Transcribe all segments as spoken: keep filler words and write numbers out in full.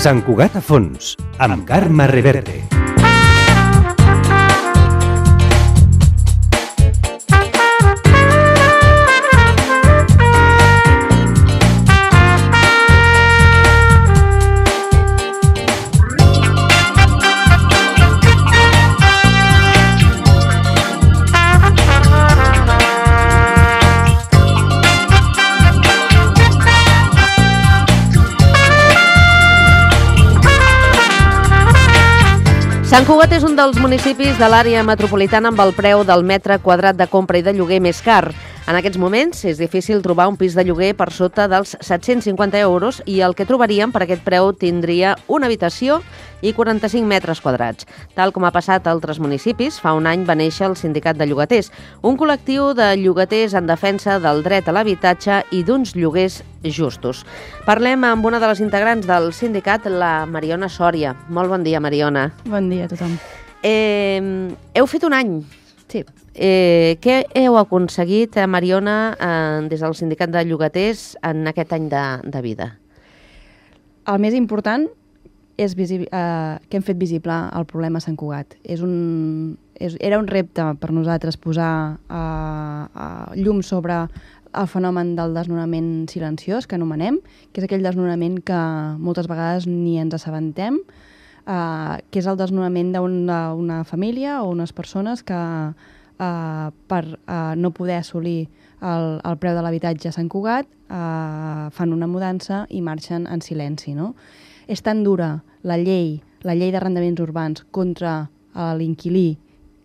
Sant Cugat a fons, amb Carme Reverte. Sant Cugat és un dels municipis de l'àrea metropolitana amb el preu del metre quadrat de compra i de lloguer més car. En aquests moments és difícil trobar un pis de lloguer per sota dels set-cents cinquanta euros i el que trobaríem per aquest preu tindria una habitació i quaranta-cinc metres quadrats. Tal com ha passat a altres municipis, fa un any va néixer el Sindicat de Llogaters, un col·lectiu de llogaters en defensa del dret a l'habitatge i d'uns lloguers justos. Parlem amb una de les integrants del sindicat, la Mariona Sòria. Molt bon dia, Mariona. Bon dia a tothom. Eh, heu fet un any. Sí. Eh, què heu aconseguit, Mariona, eh, des del Sindicat de Llogaters en aquest any de, de vida? El més important és visi- eh, que hem fet visible el problema a Sant Cugat. És un, és, era un repte per nosaltres posar eh, eh, llum sobre el fenomen del desnonament silenciós, que anomenem, que és aquell desnonament que moltes vegades ni ens assabentem, eh, que és el desnonament d'una una família o unes persones que eh, per eh, no poder assolir el, el preu de l'habitatge a Sant Cugat eh, fan una mudança i marxen en silenci, no? És tan dura la llei, la llei d'arrendaments urbans contra l'inquilí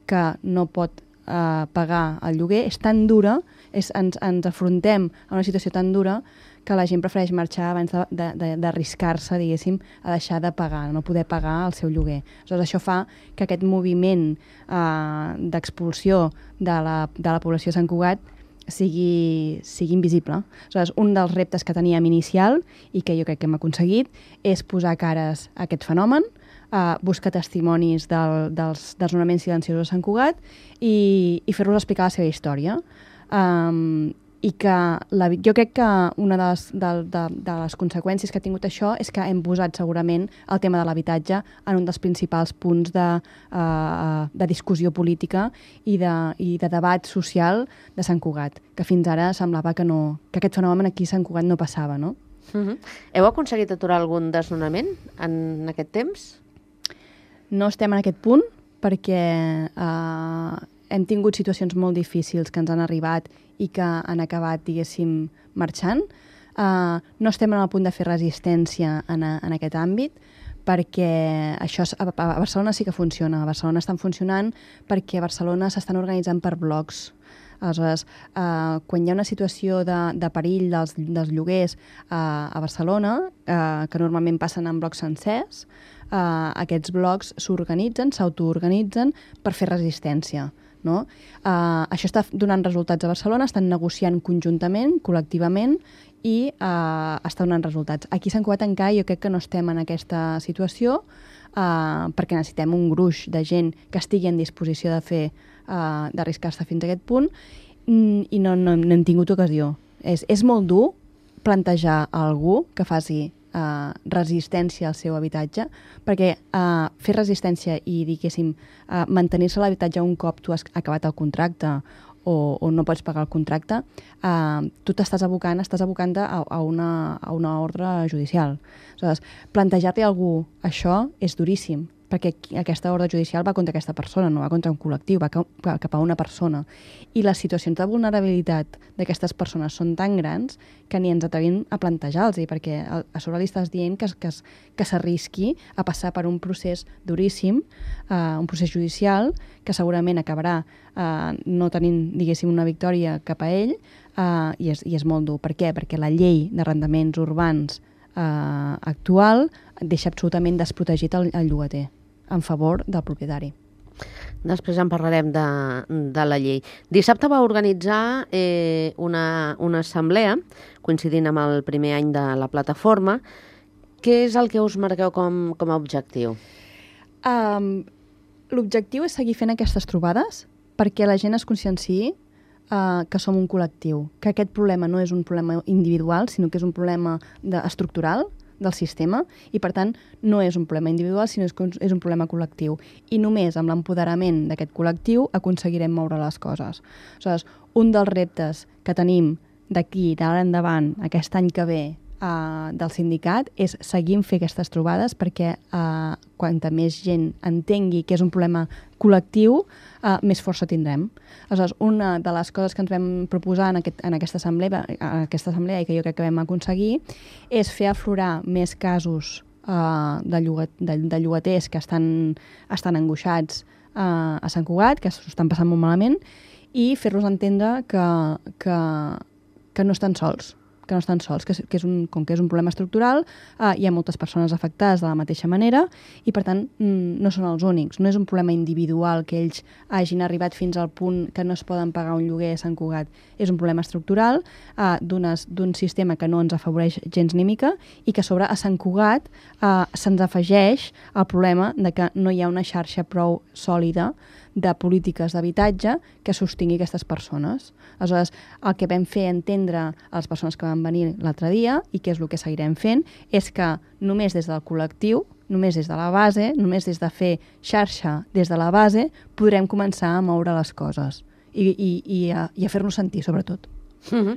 que no pot eh, pagar el lloguer, és tan dura, és, ens, ens afrontem a una situació tan dura que la gent prefereix marxar abans d'arriscar-se, diguéssim, a deixar de pagar, no poder pagar el seu lloguer. Aleshores, això fa que aquest moviment eh, d'expulsió de la, de la població de Sant Cugat sigui, sigui invisible. Aleshores, un dels reptes que teníem inicial i que jo crec que hem aconseguit és posar cares a aquest fenomen, uh, buscar testimonis del, dels desnonaments silenciosos a Sant Cugat i, i fer-los explicar la seva història. Um, i que la, jo crec que una de les, de, de, de les conseqüències que ha tingut això és que hem posat segurament el tema de l'habitatge en un dels principals punts de, uh, de discussió política i de, i de debat social de Sant Cugat, que fins ara semblava que, no, que aquest fenomen aquí a Sant Cugat no passava, no? Uh-huh. Heu aconseguit aturar algun desnonament en aquest temps? No estem en aquest punt perquè uh, hem tingut situacions molt difícils que ens han arribat i que han acabat, diguéssim, marxant. Uh, no estem en el punt de fer resistència en, a, en aquest àmbit, perquè això a, a Barcelona sí que funciona. A Barcelona estan funcionant perquè a Barcelona s'estan organitzant per blocs. Aleshores, uh, quan hi ha una situació de, de perill dels, dels lloguers uh, a Barcelona, uh, que normalment passen en blocs sencers, uh, aquests blocs s'organitzen, s'autoorganitzen per fer resistència. No? Uh, això està donant resultats a Barcelona, estan negociant conjuntament, col·lectivament, i uh, està donant resultats. Aquí a Sant Cugat encara jo crec que no estem en aquesta situació uh, perquè necessitem un gruix de gent que estigui en disposició de fer, uh, d'arriscar-se fins a aquest punt i no, no, no hem tingut ocasió. És, és molt dur plantejar a algú que faci Uh, resistència al seu habitatge, perquè uh, fer resistència i, diguéssim, uh, mantenir-se a l'habitatge un cop tu has acabat el contracte o, o no pots pagar el contracte, uh, tu t'estàs abocant, estàs abocant a, a, una, a una ordre judicial. Aleshores, plantejar-li a algú això és duríssim, perquè aquesta ordre judicial va contra aquesta persona, no va contra un col·lectiu, va cap a una persona. I les situacions de vulnerabilitat d'aquestes persones són tan grans que ni ens atrevim a plantejar-los, perquè a sobre li estàs dient que, que, que s'arrisqui a passar per un procés duríssim, uh, un procés judicial, que segurament acabarà uh, no tenint, diguéssim, una victòria cap a ell, uh, i, és, i és molt dur. Per què? Perquè la llei d'arrendaments urbans uh, actual deixa absolutament desprotegit el, el llogater en favor del propietari. Després en parlarem de, de la llei. Dissabte va organitzar eh, una, una assemblea, coincidint amb el primer any de la plataforma. Què és el que us marqueu com, com a objectiu? Um, L'objectiu és seguir fent aquestes trobades perquè la gent es conscienciï uh, que som un col·lectiu, que aquest problema no és un problema individual, sinó que és un problema de, estructural del sistema i, per tant, no és un problema individual, sinó que és un problema col·lectiu. I només amb l'empoderament d'aquest col·lectiu aconseguirem moure les coses. Aleshores, un dels reptes que tenim d'aquí, d'ara endavant, aquest any que ve, Uh, del sindicat, és seguir fent aquestes trobades perquè uh, quanta més gent entengui que és un problema col·lectiu, uh, més força tindrem. Aleshores, una de les coses que ens vam proposar en, aquest, en aquesta, assemblea, en aquesta assemblea i que jo crec que vam aconseguir és fer aflorar més casos uh, de, llogat, de, de llogaters que estan, estan angoixats uh, a Sant Cugat, que s'ho estan passant molt malament, i fer-los entendre que, que, que no estan sols, que no estan sols, que, que és un, com que és un problema estructural, eh, hi ha moltes persones afectades de la mateixa manera i, per tant, mm, no són els únics. No és un problema individual que ells hagin arribat fins al punt que no es poden pagar un lloguer a Sant Cugat. És un problema estructural eh, d'un sistema que no ens afavoreix gens ni mica i que a sobre a Sant Cugat eh, se'ns afegeix el problema de que no hi ha una xarxa prou sòlida de polítiques d'habitatge que sostingui aquestes persones. Aleshores, el que vam fer entendre a les persones que van venir l'altre dia, i que és el que seguirem fent, és que només des del col·lectiu, només des de la base, només des de fer xarxa des de la base, podrem començar a moure les coses i, i, i a, i a fer-nos sentir, sobretot. Mm-hmm.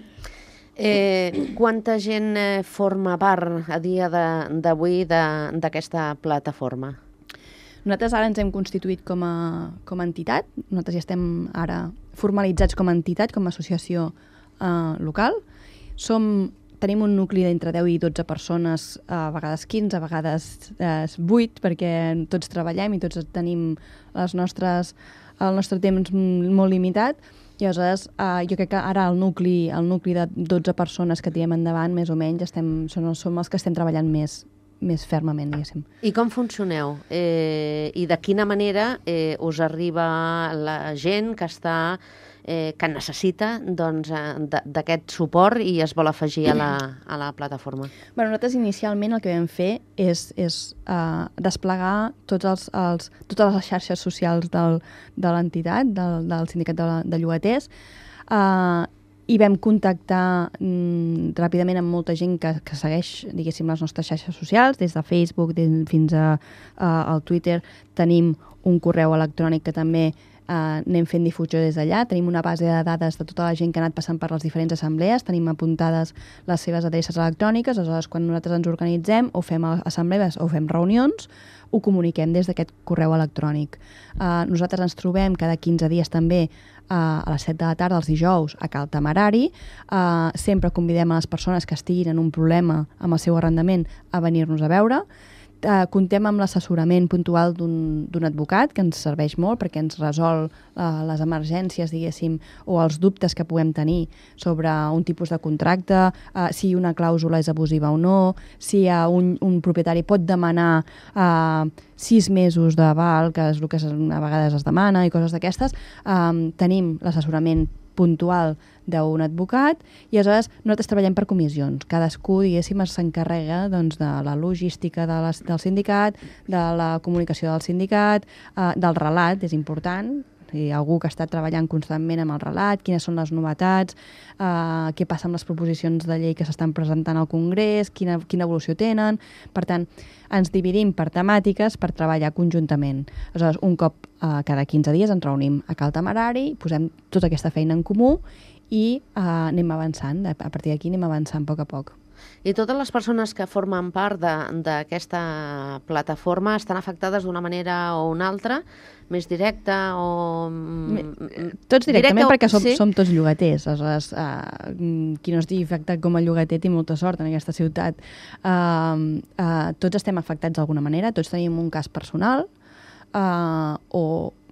Eh, quanta gent eh, forma part a dia d'avui d'aquesta plataforma? Nosaltres ara ens hem constituït com a, com a entitat, nosaltres ja estem ara formalitzats com a entitat, com a associació eh, local. Som, tenim un nucli d'entre deu i dotze persones, a vegades quinze, a vegades eh, vuit, perquè tots treballem i tots tenim les nostres, el nostre temps molt limitat. I aleshores eh, jo crec que ara el nucli, el nucli de dotze persones que tirem endavant, més o menys, estem, són, som els que estem treballant més, més fermament, diguéssim. I com funcioneu? Eh, I de quina manera eh, us arriba la gent que està eh, que necessita doncs, d'aquest suport i es vol afegir a la, a la plataforma? Bueno, nosaltres inicialment el que vam fer és, és uh, desplegar tots els, els, totes les xarxes socials del, de l'entitat, del, del sindicat de, de llogaters, uh, i vam contactar mm, ràpidament amb molta gent que, que segueix, diguéssim, les nostres xarxes socials, des de Facebook des, fins a, a, al Twitter. Tenim un correu electrònic que també eh, anem fent difusió des d'allà. Tenim una base de dades de tota la gent que ha anat passant per les diferents assemblees. Tenim apuntades les seves adreces electròniques. Aleshores, quan nosaltres ens organitzem o fem assemblees o fem reunions, ho comuniquem des d'aquest correu electrònic. Uh, nosaltres ens trobem cada quinze dies també uh, a les set de la tarda, els dijous, a Cal Temerari. Uh, sempre convidem a les persones que estiguin en un problema amb el seu arrendament a venir-nos a veure. Uh, contem amb l'assessorament puntual d'un advocat, que ens serveix molt perquè ens resol uh, les emergències, diguéssim, o els dubtes que puguem tenir sobre un tipus de contracte, uh, si una clàusula és abusiva o no, si uh, un, un propietari pot demanar uh, sis mesos d'aval, que és el que a vegades es demana, i coses d'aquestes. Um, tenim l'assessorament puntual d'un advocat i aleshores nosaltres treballem per comissions. Cadascú, diguéssim, s'encarrega doncs, de la logística de la, del sindicat, de la comunicació del sindicat, eh, del relat, és important. Hi ha algú que està treballant constantment amb el relat, quines són les novetats, eh, què passa amb les proposicions de llei que s'estan presentant al Congrés, quina, quina evolució tenen. Per tant, ens dividim per temàtiques per treballar conjuntament. Aleshores, un cop eh, cada quinze dies ens reunim a Cal Temerari, posem tota aquesta feina en comú i eh, anem avançant. A partir d'aquí anem avançant a poc a poc. I totes les persones que formen part d'aquesta plataforma estan afectades d'una manera o una altra, més directa o... Tots directament, directe, perquè som, sí? som tots llogaters. Aleshores, uh, qui no estigui afectat com a llogater té molta sort en aquesta ciutat. Uh, uh, tots estem afectats d'alguna manera, tots tenim un cas personal uh, o...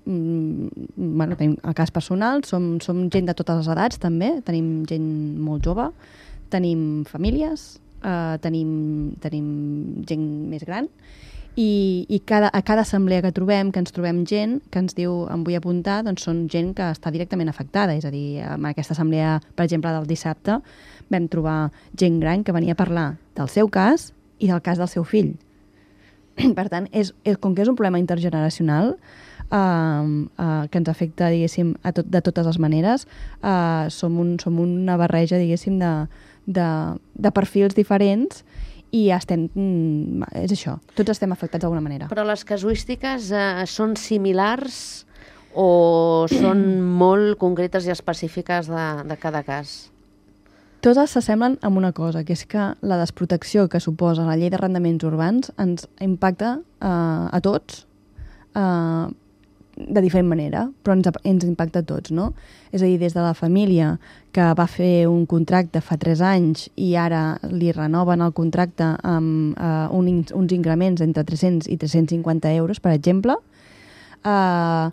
Bueno, tenim el cas personal, som, som gent de totes les edats també, tenim gent molt jove, tenim famílies, eh, tenim, tenim gent més gran i, i cada, a cada assemblea que trobem, que ens trobem gent que ens diu em vull apuntar, doncs són gent que està directament afectada. És a dir, en aquesta assemblea, per exemple, del dissabte, vam trobar gent gran que venia a parlar del seu cas i del cas del seu fill. Per tant, és, és, com que és un problema intergeneracional, Uh, uh, que ens afecta, diguéssim, a tot, de totes les maneres, uh, som, un, som una barreja, diguéssim, de, de, de perfils diferents i estem, mm, és això, tots estem afectats d'alguna manera. Però les casuístiques eh, són similars o són molt concretes i específiques de, de cada cas? Totes s'assemblen amb una cosa, que és que la desprotecció que suposa la llei d'arrendaments urbans ens impacta eh, a tots eh, de diferent manera, però ens, ens impacta a tots, no? És a dir, des de la família que va fer un contracte fa tres anys i ara li renoven el contracte amb eh, un, uns increments entre tres-cents i tres-cents cinquanta euros, per exemple, eh,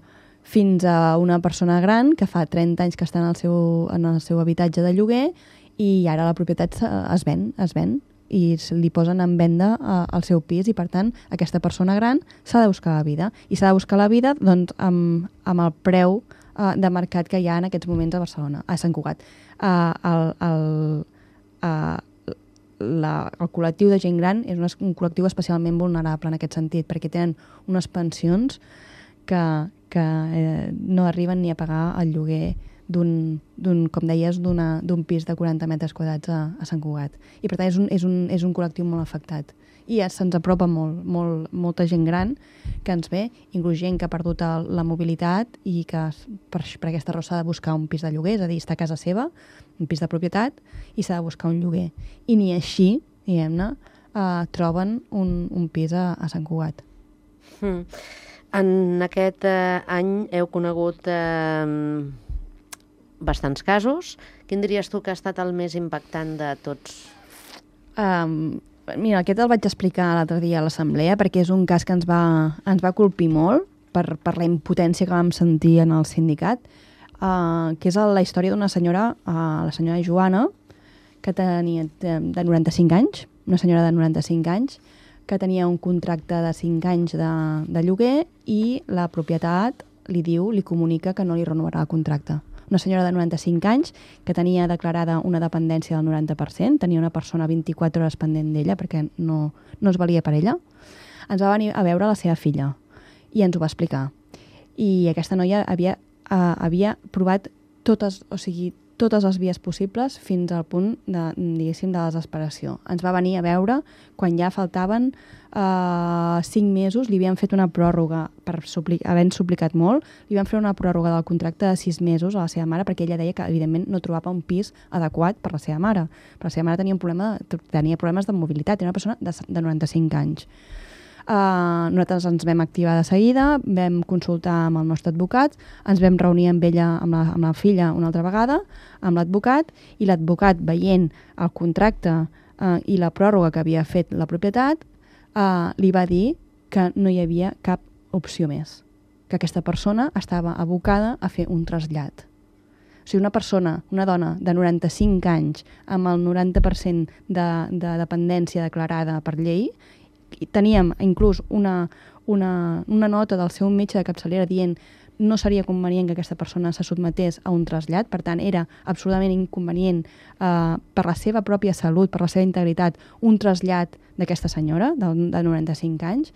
fins a una persona gran que fa trenta anys que està en el seu, en el seu habitatge de lloguer i ara la propietat es ven, es ven i li posen en venda uh, el seu pis i, per tant, aquesta persona gran s'ha de buscar la vida. I s'ha de buscar la vida doncs, amb, amb el preu uh, de mercat que hi ha en aquests moments a Barcelona, a Sant Cugat. Uh, el, el, uh, la, el col·lectiu de gent gran és un, un col·lectiu especialment vulnerable en aquest sentit, perquè tenen unes pensions que, que eh, no arriben ni a pagar el lloguer d'un, d'un, com deies, d'un pis de quaranta metres quadrats a, a Sant Cugat. I per tant és un, és un, és un col·lectiu molt afectat. I ja se'ns apropa molt, molt, molta gent gran que ens ve, inclús gent que ha perdut el, la mobilitat i que per, per aquesta raó s'ha de buscar un pis de lloguer, és a dir, està a casa seva, un pis de propietat, i s'ha de buscar un lloguer. I ni així, diguem-ne, eh, troben un, un pis a, a Sant Cugat. Mm. En aquest eh, any heu conegut eh, bastants casos. Quin diries tu que ha estat el més impactant de tots? Um, mira, aquest el vaig explicar l'altre dia a l'assemblea perquè és un cas que ens va, ens va colpir molt per, per la impotència que vam sentir en el sindicat, uh, que és la història d'una senyora, uh, la senyora Joana, que tenia de, de noranta-cinc anys, una senyora de noranta-cinc anys, que tenia un contracte de cinc anys de, de lloguer i la propietat li diu, li comunica que no li renovarà el contracte. Una senyora de noranta-cinc anys que tenia declarada una dependència del noranta per cent, tenia una persona vint-i-quatre hores pendent d'ella perquè no, no es valia per ella. Ens va venir a veure la seva filla i ens ho va explicar. I aquesta noia havia, uh, havia provat totes, o sigui, totes les vies possibles fins al punt de, diguéssim, de desesperació. Ens va venir a veure quan ja faltaven uh, cinc mesos, li havien fet una pròrroga per supli havent suplicat molt, li van fer una pròrroga del contracte de sis mesos a la seva mare perquè ella deia que evidentment no trobava un pis adequat per la seva mare. Per la seva mare tenia, un problema, tenia problemes de mobilitat, era una persona de, de noranta-cinc anys. Uh, nosaltres ens vam activar de seguida, vam consultar amb el nostre advocat, ens vam reunir amb ella, amb la, amb la filla una altra vegada, amb l'advocat, i l'advocat, veient el contracte uh, i la pròrroga que havia fet la propietat, uh, li va dir que no hi havia cap opció més, que aquesta persona estava abocada a fer un trasllat. O sigui, una persona, una dona de noranta-cinc anys amb el noranta per cent de, de dependència declarada per llei, teníem inclús una, una, una nota del seu metge de capçalera dient no seria convenient que aquesta persona se sotmetés a un trasllat, per tant era absolutament inconvenient eh, per la seva pròpia salut, per la seva integritat, un trasllat d'aquesta senyora de, de noranta-cinc anys.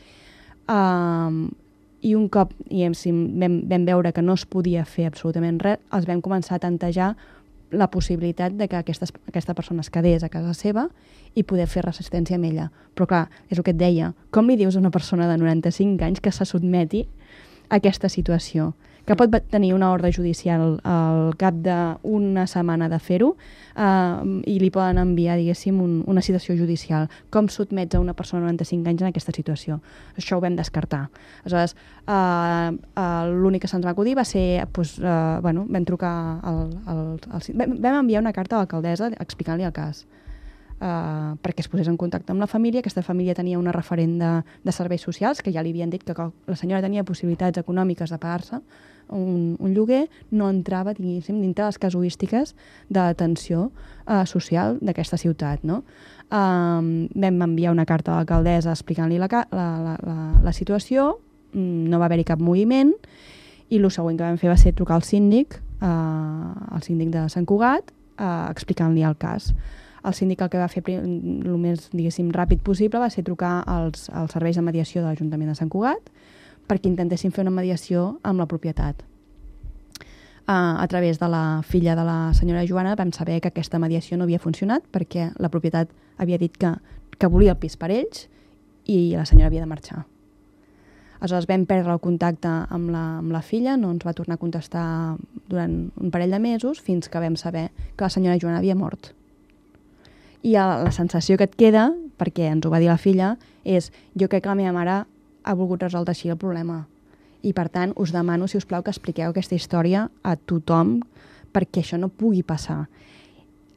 Eh, I un cop vam, vam veure que no es podia fer absolutament res, els vam començar a tantejar la possibilitat de que aquesta, aquesta persona es quedés a casa seva i poder fer resistència amb ella. Però clar, és el que et deia, com li dius a una persona de noranta-cinc anys que se sotmeti a aquesta situació? Que pot tenir una ordre judicial al cap d'una setmana de fer-ho eh, i li poden enviar, diguéssim, un, una citació judicial. Com sotmets a una persona de noranta-cinc anys en aquesta situació? Això ho vam descartar. Aleshores, eh, eh, l'únic que se'ns va acudir va ser, doncs, eh, bueno, vam trucar al, al, al, vam, vam enviar una carta a l'alcaldessa explicant-li el cas. Uh, perquè es posés en contacte amb la família. Aquesta família tenia una referent de, de serveis socials que ja li havien dit que la senyora tenia possibilitats econòmiques de pagar-se un, un lloguer, no entrava, diguéssim, dintre les casuístiques d'atenció uh, social d'aquesta ciutat, no? Uh, vam enviar una carta a l'alcaldessa explicant-li la, la, la, la, la situació, no va haver-hi cap moviment, i el següent que vam fer va ser trucar al síndic, uh, al síndic de Sant Cugat, uh, explicant-li el cas. El síndic el que va fer el més, diguéssim, ràpid possible va ser trucar als, als serveis de mediació de l'Ajuntament de Sant Cugat perquè intentessin fer una mediació amb la propietat. Uh, a través de la filla de la senyora Joana vam saber que aquesta mediació no havia funcionat perquè la propietat havia dit que, que volia el pis per ells i la senyora havia de marxar. Aleshores vam perdre el contacte amb la, amb la filla, no ens va tornar a contestar durant un parell de mesos fins que vam saber que la senyora Joana havia mort. I la, la sensació que et queda, perquè ens ho va dir la filla, és jo crec que la meva mare ha volgut resoldre així el problema. I per tant us demano, si us plau, que expliqueu aquesta història a tothom perquè això no pugui passar.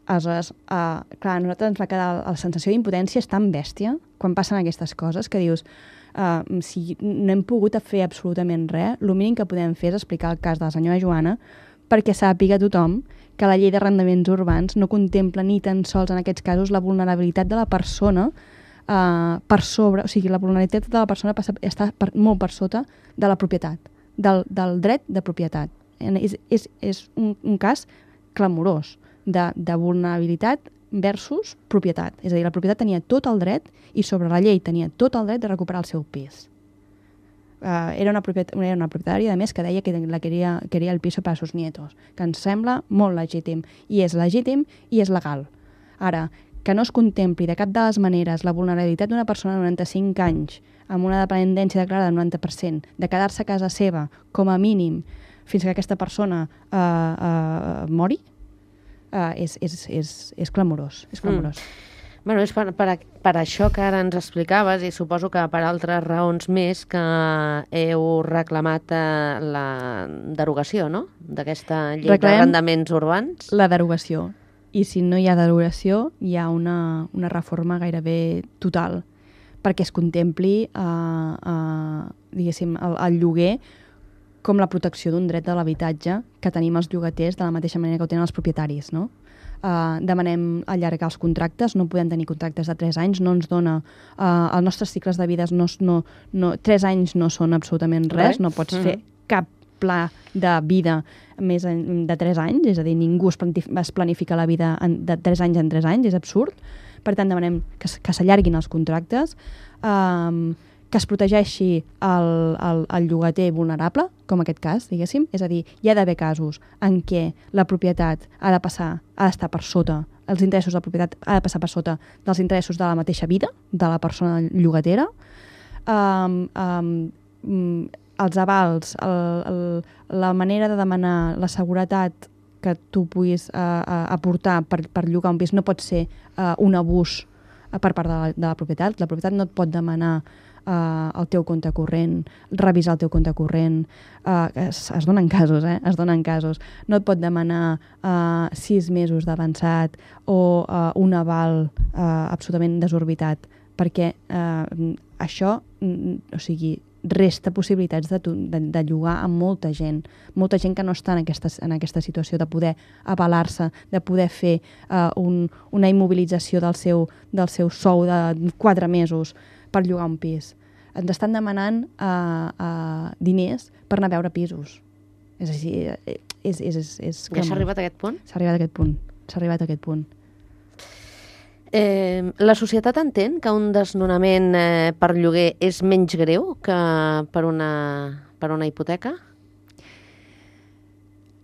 Aleshores, uh, clar, a nosaltres ens va quedar la sensació d'impotència és tan bèstia quan passen aquestes coses que dius uh, si no hem pogut fer absolutament res, el mínim que podem fer és explicar el cas de la senyora Joana perquè sàpiga tothom que la llei d'arrendaments urbans no contempla ni tan sols en aquests casos la vulnerabilitat de la persona uh, per sobre, o sigui, la vulnerabilitat de la persona passa, està per, molt per sota de la propietat, del, del dret de propietat. És, és, és un, un cas clamorós de, de vulnerabilitat versus propietat. És a dir, la propietat tenia tot el dret i sobre la llei tenia tot el dret de recuperar el seu pis. Uh, era, una era una propietària, a més, que deia que la queria, queria el piso per a sus nietos, que ens sembla molt legítim. I és legítim i és legal. Ara, que no es contempli de cap de les maneres la vulnerabilitat d'una persona de noranta-cinc anys amb una dependència declarada del noranta per cent, de quedar-se a casa seva com a mínim fins que aquesta persona uh, uh, mori, uh, és, és, és, és clamorós. És clamorós. Mm. Bueno, és per, per, per això que ara ens explicaves i suposo que per altres raons més que heu reclamat eh, la derogació, no?, d'aquesta llei d'arrendaments urbans. La derogació. I si no hi ha derogació, hi ha una, una reforma gairebé total perquè es contempli eh, eh, diguéssim, el, el lloguer com la protecció d'un dret de l'habitatge que tenim els llogaters de la mateixa manera que ho tenen els propietaris, no? Uh, demanem allargar els contractes, no podem tenir contractes de tres anys, no ens dona... Uh, els nostres cicles de vida, no, no, no, tres anys no són absolutament res, no pots mm-hmm. fer cap pla de vida més de tres anys, és a dir, ningú es, es planifica la vida en, de tres anys en tres anys, és absurd. Per tant, demanem que, que s'allarguin els contractes, um, que es protegeixi el, el, el llogater vulnerable, com aquest cas, diguéssim. És a dir, hi ha d'haver casos en què la propietat ha de passar, ha d'estar per sota, els interessos de la propietat ha de passar per sota dels interessos de la mateixa vida, de la persona llogatera. Um, um, els avals, el, el, la manera de demanar la seguretat que tu puguis uh, uh, aportar per, per llogar un pis no pot ser uh, un abús uh, per part de la, de la propietat. La propietat no et pot demanar Uh, el teu compte corrent, revisar el teu compte corrent, uh, es, es donen casos, eh? Es donen casos. No et pot demanar uh, sis mesos d'avançat o uh, un aval uh, absolutament desorbitat, perquè uh, això, mm, o sigui, resta possibilitats de, de, de llogar a molta gent, molta gent que no està en aquesta, en aquesta situació de poder avalar-se, de poder fer uh, un, una immobilització del seu, del seu sou de quatre mesos per llogar un pis. Ens estan demanant uh, uh, diners per anar a veure pisos. És així, és... és, és, és ja s'ha arribat a aquest punt? S'ha arribat a aquest punt, s'ha arribat a aquest punt. Eh, la societat entén que un desnonament eh, per lloguer és menys greu que per una, per una hipoteca?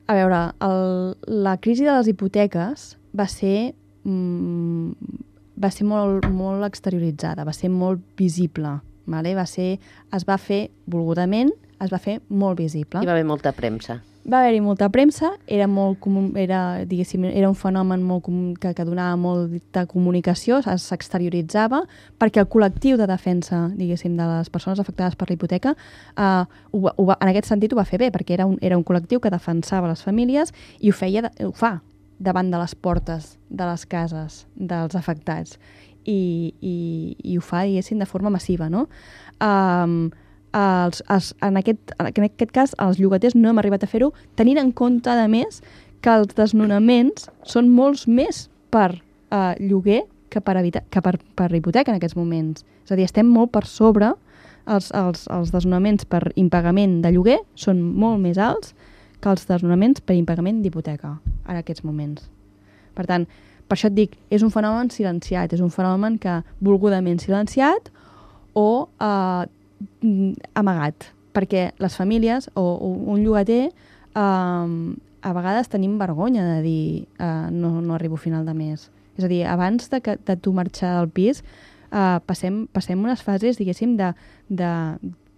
A veure, el, la crisi de les hipoteques va ser... Mm, va ser molt, molt exterioritzada, va ser molt visible, vale? Va ser, es va fer volgudament, es va fer molt visible. Hi va haver molta premsa. Va haver-hi molta premsa, era, molt comú, era, diguéssim, era un fenomen molt comú, que, que donava molta comunicació, s'exterioritzava, perquè el col·lectiu de defensa, diguéssim, de les persones afectades per la hipoteca, eh, ho, ho va, en aquest sentit ho va fer bé, perquè era un, era un col·lectiu que defensava les famílies i ho feia, ho fa, davant de les portes de les cases dels afectats i, i, i ho fa, diguéssim, de forma massiva, no? Um, els, els, en, aquest, en aquest cas, els llogaters no hem arribat a fer-ho, tenint en compte, a més, que els desnonaments són molts més per uh, lloguer que per, habita, que per, per hipoteca en aquests moments. És a dir, estem molt per sobre, els, els, els desnonaments per impagament de lloguer són molt més alts que els desnonaments per impagament d'hipoteca en aquests moments. Per tant, per això et dic, és un fenomen silenciat, és un fenomen que volgudament silenciat o eh, amagat, perquè les famílies o, o un llogater eh, a vegades tenim vergonya de dir eh, no, no arribo a final de mes. És a dir, abans de, que, de tu marxar del pis, uh, passem, passem unes fases, diguéssim, de, de,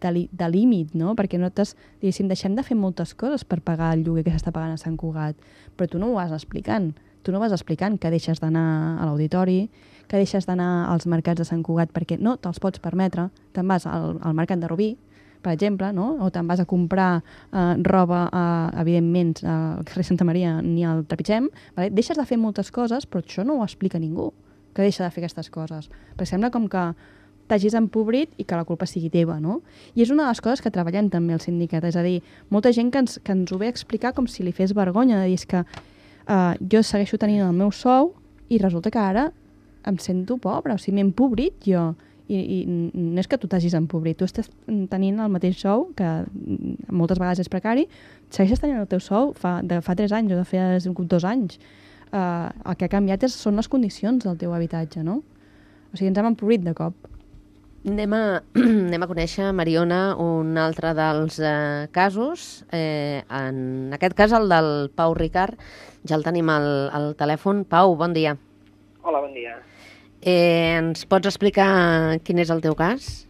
de, li, de límit, no? Perquè nosaltres, diguéssim, deixem de fer moltes coses per pagar el lloguer que s'està pagant a Sant Cugat, però tu no ho vas explicant. Tu no vas explicant que deixes d'anar a l'auditori, que deixes d'anar als mercats de Sant Cugat perquè no te'ls pots permetre, te'n vas al, al mercat de Rubí, per exemple, no? O te'n vas a comprar eh, roba, eh, evidentment, al carrer Santa Maria ni al Trepitgem, vale? Deixes de fer moltes coses, però això no ho explica ningú, que deixa de fer aquestes coses. Perquè sembla com que t'hagis empobrit i que la culpa sigui teva, no? I és una de les coses que treballem també al sindicat, és a dir, molta gent que ens, que ens ho ve a explicar com si li fes vergonya, de dir, és que eh, jo segueixo tenint el meu sou i resulta que ara em sento pobra, o sigui, m'he empobrit jo. I, i no és que tu t'hagis empobrit, tu estàs tenint el mateix sou, que moltes vegades és precari, segueixes tenint el teu sou fa, de fa tres anys o de fa dos anys. Uh, el que ha canviat és, són les condicions del teu habitatge, no? O sigui, ens hem empobrit de cop. Anem a, anem a conèixer, Mariona, un altre dels eh, casos. Eh, en aquest cas, el del Pau Ricard. Ja el tenim al, al telèfon. Pau, bon dia. Hola, bon dia. Eh, ens pots explicar quin és el teu cas?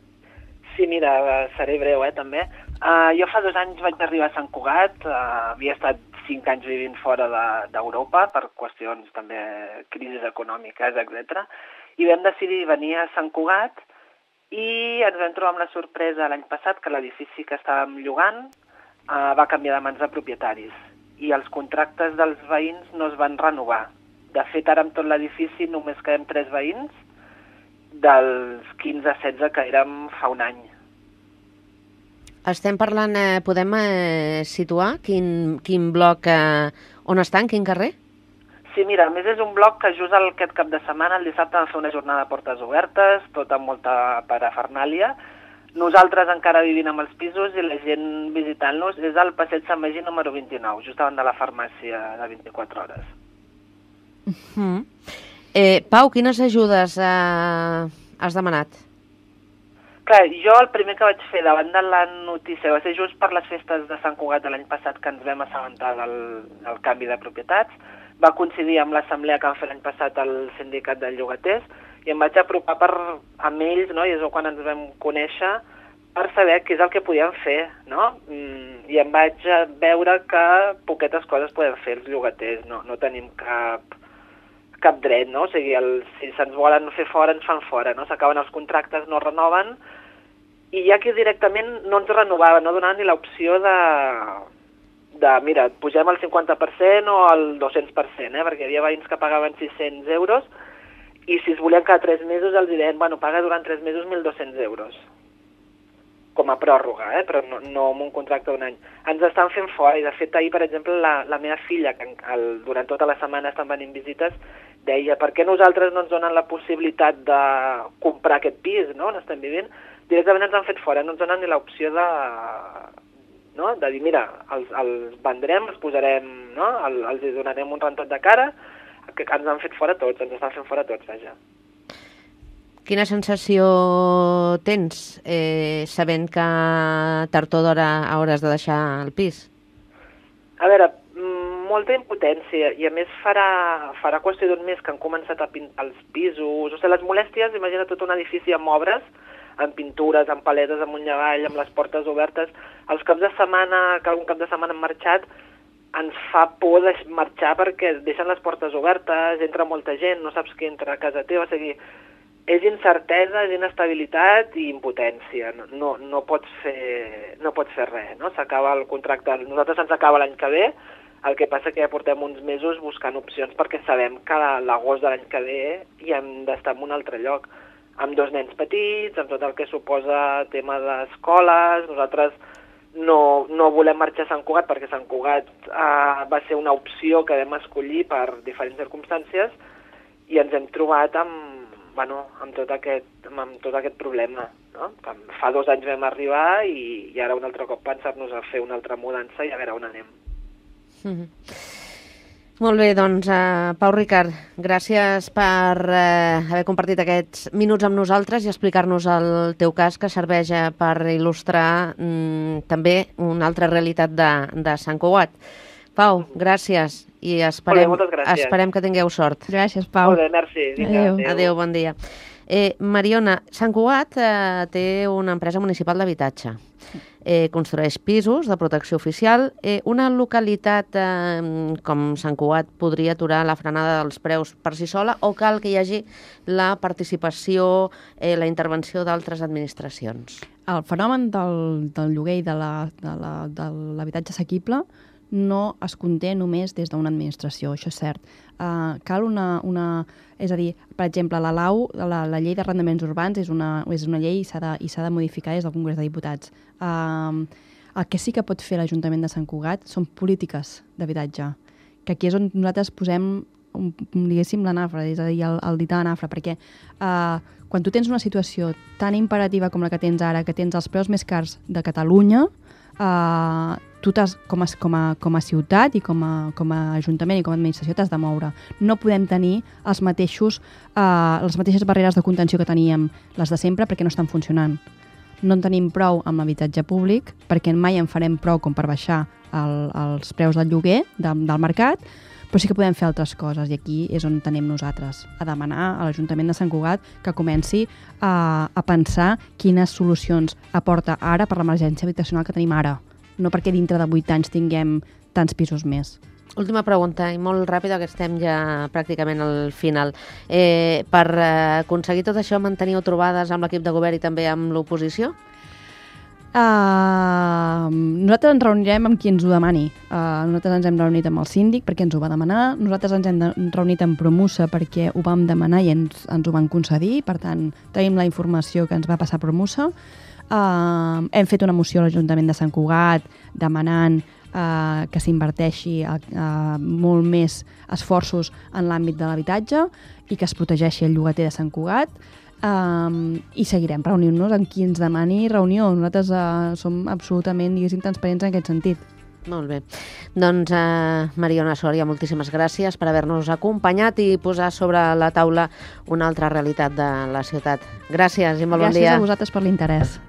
Sí, mira, seré breu, eh, també. Uh, jo fa dos anys vaig arribar a Sant Cugat, uh, havia estat cinc anys vivint fora d'Europa de, per qüestions també crisis econòmiques, etcètera. I vam decidir venir a Sant Cugat i ens vam trobar amb la sorpresa l'any passat que l'edifici que estàvem llogant uh, va canviar de mans de propietaris i els contractes dels veïns no es van renovar. De fet, ara amb tot l'edifici només quedem tres veïns dels quinze a setze que érem fa un any. Estem parlant, eh, podem eh, situar quin, quin bloc, eh, on està, en quin carrer? Sí, mira, a més és un bloc que just aquest cap de setmana, el dissabte, vam fer una jornada de portes obertes, tot amb molta parafernàlia. Nosaltres encara vivint amb els pisos i la gent visitant-los és al passeig Sant Magí número vint-i-nou, just davant de la farmàcia de vint-i-quatre hores. Mm. Eh, Pau, quines ajudes eh, has demanat? Clar, jo el primer que vaig fer davant de la notícia va ser just per les festes de Sant Cugat de l'any passat que ens vam assabentar del, del canvi de propietats. Va coincidir amb l'assemblea que vam fer l'any passat al sindicat de llogaters i em vaig apropar per, amb ells, no? I és quan ens vam conèixer, per saber què és el que podíem fer, no? I em vaig veure que poquetes coses podem fer els llogaters, no, no tenim cap... cap dret, no? O sigui, el, si se'ns volen fer fora, ens fan fora, no? S'acaben els contractes, no renoven, i hi ha qui directament no ens renovava, no donava ni l'opció de, de, mira, pugem al cinquanta per cent o al dos-cents per cent, eh? Perquè hi havia veïns que pagaven sis-cents euros, i si es volien cada tres mesos els deien, bueno, paga durant tres mesos mil dos-cents euros, com a pròrroga, eh? Però no, no amb un contracte d'un any. Ens estan fent fora, i de fet ahir, per exemple, la, la meva filla, que el, durant tota la setmana estan venint visites, deia, per què nosaltres no ens donen la possibilitat de comprar aquest pis, no?, on estem vivint? Directament ens han fet fora, no ens donen ni l'opció de, no?, de dir, mira, els, els vendrem, els posarem, no?, el, els donarem un rentat de cara, que ens han fet fora tots, ens estan fent fora tots, vaja. Quina sensació tens, eh, sabent que tard o d'hora hauràs de deixar el pis? A veure, molta impotència, i a més farà, farà qüestió d'un mes que han començat a pintar els pisos, o sigui, les molèsties, imagina tot un edifici amb obres, amb pintures, amb paletes, amunt i avall, amb les portes obertes, els caps de setmana, que algun cap de setmana han marxat, ens fa por de marxar perquè deixen les portes obertes, entra molta gent, no saps qui entra a casa teva, o sigui, és incertesa, és inestabilitat i impotència, no, no, no, pots, fer, no pots fer res, no? S'acaba el contracte, nosaltres ens acaba l'any que ve, el que passa que ja portem uns mesos buscant opcions perquè sabem que a l'agost de l'any que ve hi hem d'estar en un altre lloc, amb dos nens petits, amb tot el que suposa tema d'escoles. Nosaltres no, no volem marxar a Sant Cugat perquè Sant Cugat eh, va ser una opció que vam escollir per diferents circumstàncies i ens hem trobat amb, bueno, amb, tot, aquest, amb tot aquest problema, no? Fa dos anys vam arribar i, i ara un altre cop pensar-nos a fer una altra mudança i a veure on anem. Mm-hmm. Molt bé, doncs, uh, Pau Ricard, gràcies per uh, haver compartit aquests minuts amb nosaltres i explicar-nos el teu cas, que serveix uh, per il·lustrar um, també una altra realitat de, de Sant Cugat. Pau, gràcies i esperem, Molt bé, moltes gràcies. esperem que tingueu sort. Gràcies, Pau. Molt bé, merci. Vinga, Adéu. adéu. Adéu, bon dia. Eh, Mariona, Sant Cugat eh, té una empresa municipal d'habitatge. Eh, construeix pisos de protecció oficial. Eh, una localitat eh, com Sant Cugat podria aturar la frenada dels preus per si sola o cal que hi hagi la participació, eh, la intervenció d'altres administracions? El fenomen del, del lloguer i de l'habitatge assequible no es conté només des d'una administració, això és cert. Uh, cal una, una... És a dir, per exemple, la L A U, la, la llei d'arrendaments urbans, és una, és una llei i s'ha de, i s'ha de modificar des del Congrés de Diputats. Uh, el que sí que pot fer l'Ajuntament de Sant Cugat són polítiques d'habitatge, que aquí és on nosaltres posem, un, diguéssim, la nafra, és a dir, el, el dit a la nafra, perquè uh, quan tu tens una situació tan imperativa com la que tens ara, que tens els preus més cars de Catalunya, uh, tu t'has, com, a, com, a, com a ciutat i com a, com a ajuntament i com a administració t'has de moure. No podem tenir els mateixos, eh, les mateixes barreres de contenció que teníem les de sempre perquè no estan funcionant. No en tenim prou amb l'habitatge públic perquè mai en farem prou com per baixar el, els preus del lloguer de, del mercat, però sí que podem fer altres coses i aquí és on tenim nosaltres, a demanar a l'Ajuntament de Sant Cugat que comenci a, a pensar quines solucions aporta ara per l'emergència habitacional que tenim ara. No perquè dintre de vuit anys tinguem tants pisos més. Última pregunta, i molt ràpida, que estem ja pràcticament al final. Eh, per eh, aconseguir tot això, manteniu trobades amb l'equip de govern i també amb l'oposició? Uh, nosaltres ens reunirem amb qui ens ho demani. Uh, nosaltres ens hem reunit amb el síndic perquè ens ho va demanar, nosaltres ens hem de, reunit amb Promusa perquè ho vam demanar i ens, ens ho van concedir, per tant, tenim la informació que ens va passar Promusa. Uh, hem fet una moció a l'Ajuntament de Sant Cugat demanant uh, que s'inverteixi uh, uh, molt més esforços en l'àmbit de l'habitatge i que es protegeixi el llogater de Sant Cugat. Um, i seguirem reunint-nos amb qui ens demani reunió. Nosaltres uh, som absolutament, diguéssim, transparents en aquest sentit. Molt bé. Doncs, eh, Mariona Sòria, moltíssimes gràcies per haver-nos acompanyat i posar sobre la taula una altra realitat de la ciutat. Gràcies i molt bon dia. Gràcies a vosaltres per l'interès.